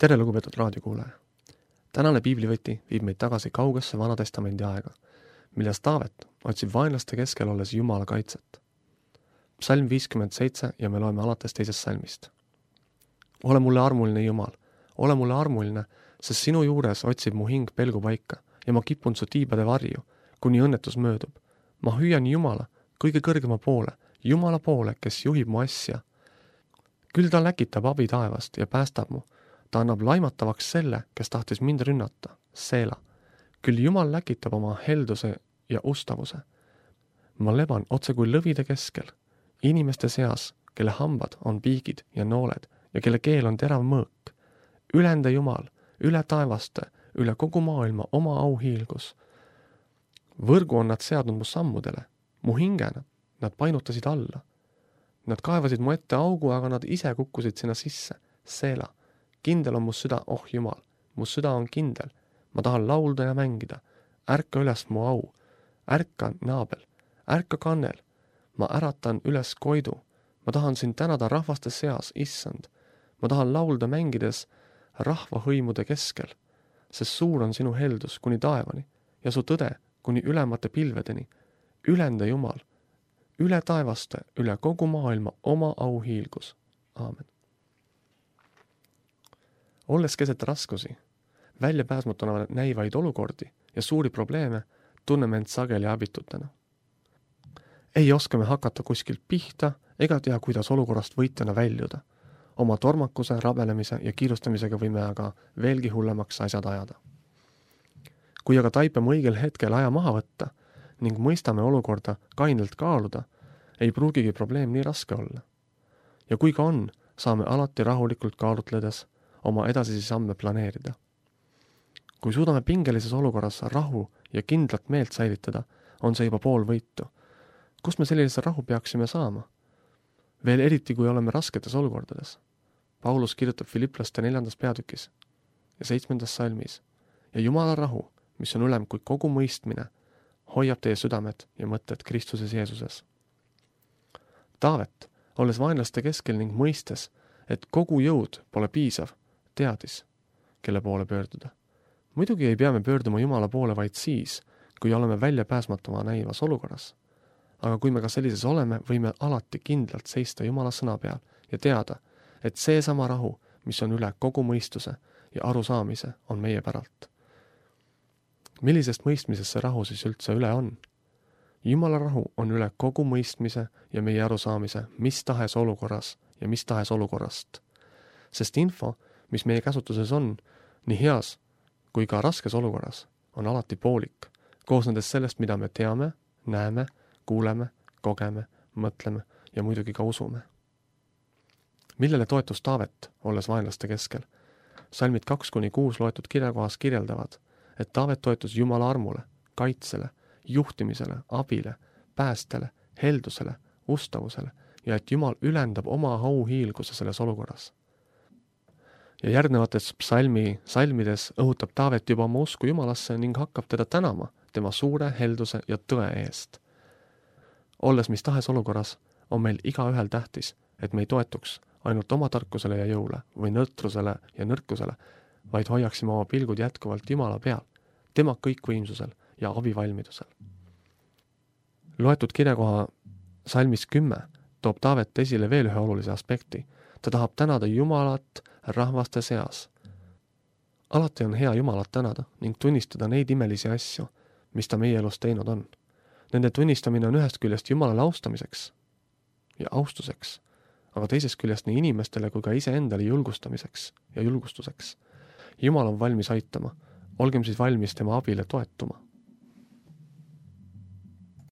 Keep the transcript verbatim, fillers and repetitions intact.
tere, lugupeetud raadiokuulaja! Tänane piiblivõti viib meid tagasi kaugesse Vanatestamendi aega, milles Taavet otsib vaenlaste keskel olles Jumala kaitset. Psalm viiskümmend seitse ja me loeme alates teisest salmist. Ole mulle armuline Jumal, ole mulle armuline, sest sinu juures otsib mu hing pelgupaika ja ma kipun su tiibade varju, kuni õnnetus möödub. Ma hüüan Jumala kõige kõrgema poole, Jumala poole, kes juhib mu asja. Küll ta läkitab abi taevast ja päästab mu. Ta annab laimatavaks selle, kes tahtis mind rünnata, Seela. Küll Jumal läkitab oma helduse ja ustavuse. Ma leban otse kui lõvide keskel, inimeste seas, kelle hambad on piigid ja nooled ja kelle keel on terav mõõk. Ülende Jumal, üle taevaste, üle kogu maailma oma auhiilgus. Võrgu on nad seadnud mu sammudele, mu hingena, nad painutasid alla. Nad kaevasid mu ette augu, aga nad ise kukkusid sinna sisse, Seela. Kindel on mu süda, oh Jumal, mu süda on kindel. Ma tahan laulda ja mängida. Ärka üles mu au. Ärka naabel. Ärka kannel. Ma äratan üles koidu. Ma tahan sind tänada rahvaste seas, issand. Ma tahan laulda mängides rahvahõimude keskel, sest suur on sinu heldus kuni taevani ja su tõde kuni ülemate pilvedeni. Ülende Jumal, üle taevaste, üle kogu maailma oma auhiilgus. Aamen. Olles keset raskusi, väljapääsmatuna näivaid olukordi ja suuri probleeme, tunneme end sageli abitutena. Ei oska me hakata kuskilt pihta ega tea, kuidas olukorrast võitjana väljuda. Oma tormakuse, rabelemise ja kiirustamisega võime aga veelgi hullemaks asjad ajada. Kui aga taipame õigel hetkel aja maha võtta ning mõistame olukorda kainelt kaaluda, ei pruugigi probleem nii raske olla. Ja kui ka on, saame alati rahulikult kaalutledes oma edasisi samme planeerida. Kui suudame pingelises olukorras rahu ja kindlat meelt säilitada, on see juba pool võitu. Kust me sellise rahu peaksime saama? Veel eriti, kui oleme rasketes olukordades. Paulus kirjutab Filiplaste neljandas peatükis ja seitsmendas salmis. Ja Jumala rahu, mis on ülem kui kogu mõistmine, hoiab teie südamed ja mõtted Kristuses Jeesuses. Taavet, olles vaenlaste keskel ning mõistes, et kogu jõud pole piisav, teadis, kelle poole pöörduda. Muidugi ei pea me pöörduma Jumala poole vaid siis, kui oleme väljapääsmatuma näivas olukorras. Aga kui me ka sellises oleme, võime alati kindlalt seista Jumala sõna peal ja teada, et see sama rahu, mis on üle kogu mõistuse ja arusaamise, on meie päralt. Millisest mõistmisest see rahu siis üldse üle on? Jumala rahu on üle kogu mõistmise ja meie arusaamise mis tahes olukorras ja mis tahes olukorrast. Sest info, mis meie käsutuses on, nii heas kui ka raskes olukorras, on alati poolik, koosnedes sellest, mida me teame, näeme, kuuleme, kogeme, mõtleme ja muidugi ka usume. Millele toetus Taavet, olles vaenlaste keskel? Salmid kaks kuni kuus loetud kirjakohas kirjeldavad, et Taavet toetus Jumala armule, kaitsele, juhtimisele, abile, päästele, heldusele, ustavusele ja et Jumal ülendab oma auhiilguse selles olukorras. Ja järgnevates psalmi salmides õhutab Taavet juba oma usku Jumalasse ning hakkab teda tänama tema suure helduse ja tõe eest. Olles mis tahes olukorras, on meil iga ühel tähtis, et me ei toetuks ainult oma tarkusele ja jõule või nõrtrusele ja nõrkusele, vaid hoiaksime oma pilgud jätkuvalt Jumala peal, tema kõikvõimsusel ja abivalmidusel. Loetud kirjakoha salmis kümme toob Taavet esile veel ühe olulise aspekti. Ta tahab tänada Jumalat rahvaste seas. Alati on hea Jumalat tänada ning tunnistada neid imelisi asju, mis ta meie elus teinud on. Nende tunnistamine on ühest küljest Jumalale austamiseks ja austuseks, aga teisest küljest nii inimestele kui ka iseendale julgustamiseks ja julgustuseks. Jumal on valmis aitama, olgem siis valmis tema abile toetuma.